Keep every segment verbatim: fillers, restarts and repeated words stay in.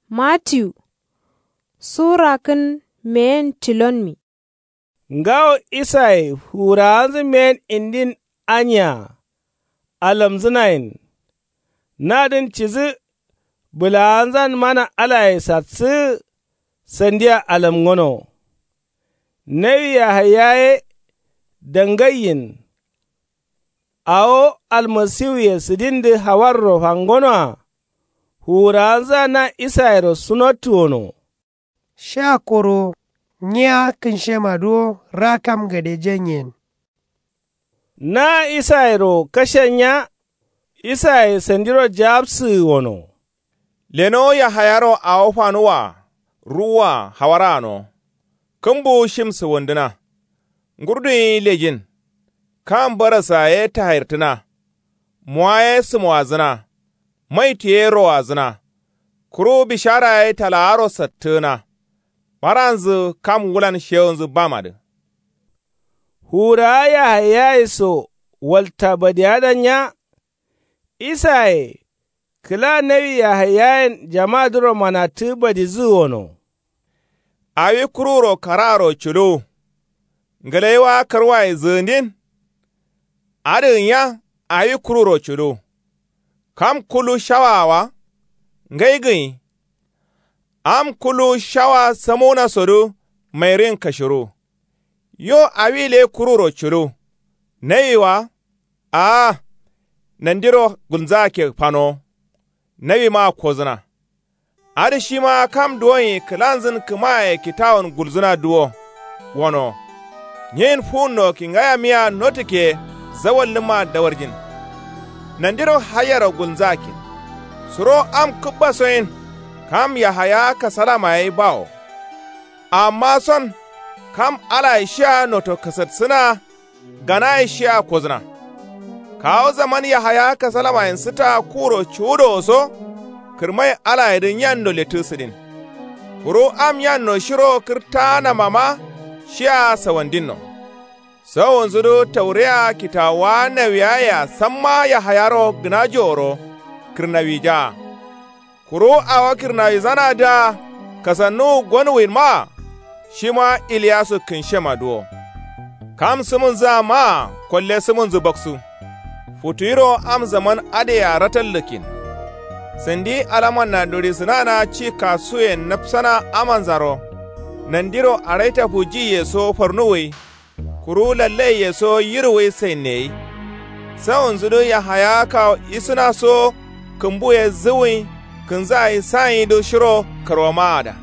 Matiyu. Sura kǝn meyen tilonmi. Ngawo isaye fuwurawanzǝ meyen indin aniya. Alamzǝnayen nadǝn cidǝ. Bǝlawanzan mana alaye satsǝgǝ sandiya alamngono. Nawi yahaya ye dangaiyin. Awo almasiwuye sǝdindǝ hawarro fangonoa. Fuwurawanzǝa na isayero sunottu wono. Sha koro nyiya kǝnshemadǝ wo rakam gade janyen. Na isayero kashen nya. Isaye sandiro jawabsǝgǝ wono. Lenowo yahayaro awo fanuwwa ruwwa hawara gǝno. Kǝmbuwu shim sǝwundǝna. Ngurduyi lejin. Kam barassa ye tahairtǝna. Mowa ye sǝmowadzǝna. Maitu ye rowadzǝna. Kuru bishara ye talawaro sattǝgǝna. Baranzǝ kam wulan shewunzǝ bamadǝ. Fuwurawa yahayaye so walta badiyadan nya. Isaye kǝla nawi yahayayen jamadǝro manattǝgǝ badidǝgǝ wono. Awi kururo kararo culuwu. Ngǝlaiwa karwaye zǝgǝndin. Adǝgǝnya awi kururo culuwu. Kam kullu shawaa wa ngai gǝnyi. Am kullu shawa samuna sodǝ mairin kashiru. Yo awi le kururo culuwu. Nawi wa. Aa. Nandiro gulnzake fanowo. Nawima kozǝna. Adǝ shima kam duwonyi kǝlanzǝn kǝmaye kitawun gulzǝna duwo. Wono. Nyin fuwunno kingayamiya notǝkke zawallǝmma dawarjin. Nandiro haiyero gulnzakin. Suro am kǝbbasoyin. Kam yahaya kasalama ye bawo. Amma son kam alaye shia noto kasatsǝna. Ganaye shia kozǝna. Kawu zaman yahaya kasalamayen sǝta kuro cuwudowo so. Kǝrmai alayedǝ nyanno lettǝ sǝdin. Kuru am nyanno shiro kǝrtaanamama shia sawandinno. Sawunzudǝ taureya kitawuwa nawiyayea samma yahayaro gǝnajoworo. Kǝrnawija. Kuru awo kǝrnawizanadǝa kasannuwu gonuwwinmaa. Shima iliyasu kǝnshemadǝ wo. Kam sǝmǝnzǝa maa kolle sǝmǝnzǝ baksu. Futuyiro am zaman adǝyea ratallǝkkin. Sandi alamanna durisǝnana ci kasuyen napsana amanzaro. Nandiro araitafu jiye so farnuwwai. Kuru lallaiye so yiruwwai sainneyi. Sawunzudǝ yahaya kawo isǝna so kǝmbuye zǝwwin kǝnzayi sanyidǝ shiro karwamaada.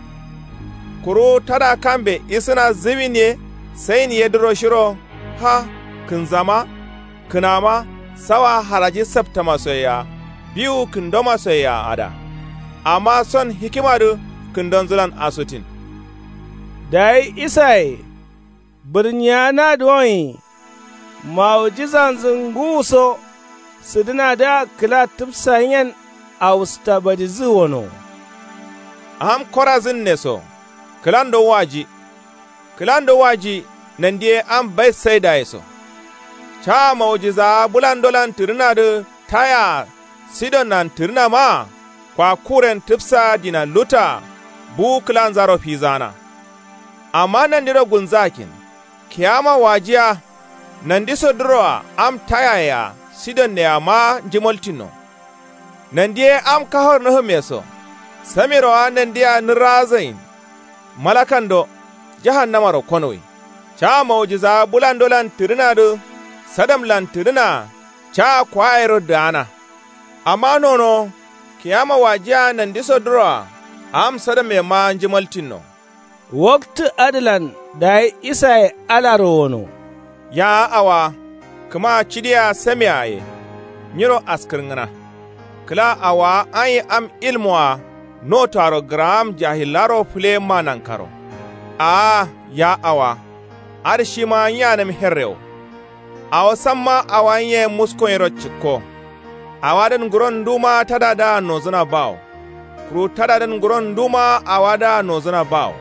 Kuru tada kambe isǝna zǝwin ye sain yedǝro shiro. Ha kǝnzama kǝnama sawa haraji saptamasoyea biwu kǝndomasoyea ada. Amma son hikimadǝ kǝndonzǝlan asuttin. Dayi isaye bǝrnyiya na duwonyi. Mawujizanzǝ ngǝwuso sǝdǝnadǝa kǝla tǝpsayen awusta badidǝgǝ wono. Am korazǝnne so kǝlando waji. Kǝlando waji nandi ye am baitsaidaye so. Caa mawujizawa bǝlandolan tǝrǝnadǝ tayea sidonnan tǝrǝna maa. Kwa kuren tǝpsa dina luttaa buwu kǝlanzaro fizaana. Amma nandiro gulnzakin kiyama wajiya. Nandisodǝroa am tayayea sidonneyea maa njǝmoltinno. Nandi ye am kafar nǝhǝmme so samirowa nandia nǝrrazain. Malakando jahannamaro konuwwai. Caa mawujizawa bǝlandolan tǝrǝnadǝ sadamlan tǝrǝnaa caa kwayero dǝgana. Amma nonowo kiyama wajiya nandisodǝroa am sadamme maa njǝmaltinno. Waktǝ adǝlan dayi isaye alaro wono. Yawa awa kǝma cidiya samea ye. Nyiro askǝrngǝna kǝla awowa anyi am ilmoa notoaro gǝraam jahillaro fǝleyemma nankaro. Aa ya awa adǝ shima nyiyanǝm herre wo. Awo samma awa nyiye muskonyiro cikko. Awadǝn nguron nduma tadadǝa nozǝna bawo. Kuru tadadǝn nguron nduma awadǝa nozǝna bawo.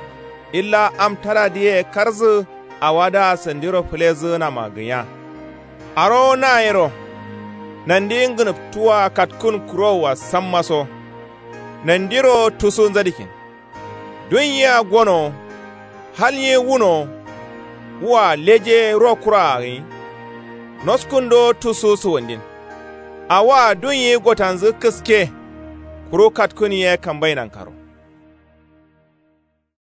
Illa am tadadǝye karzǝ awadǝa sandiro fǝlezǝgǝnama gǝnya. Arowo nayero nandi ngǝnǝftuwwa katkǝn kurowwa sammaso. Nandiro tusu nzadikin. Dunyea gono. Hal nyi wuno. Wua leje ro kura gǝnyi. Noskundo tusu suwandin. Awa dunyi gotanzǝ kǝske. Kuru katkun ye kambai nankaro.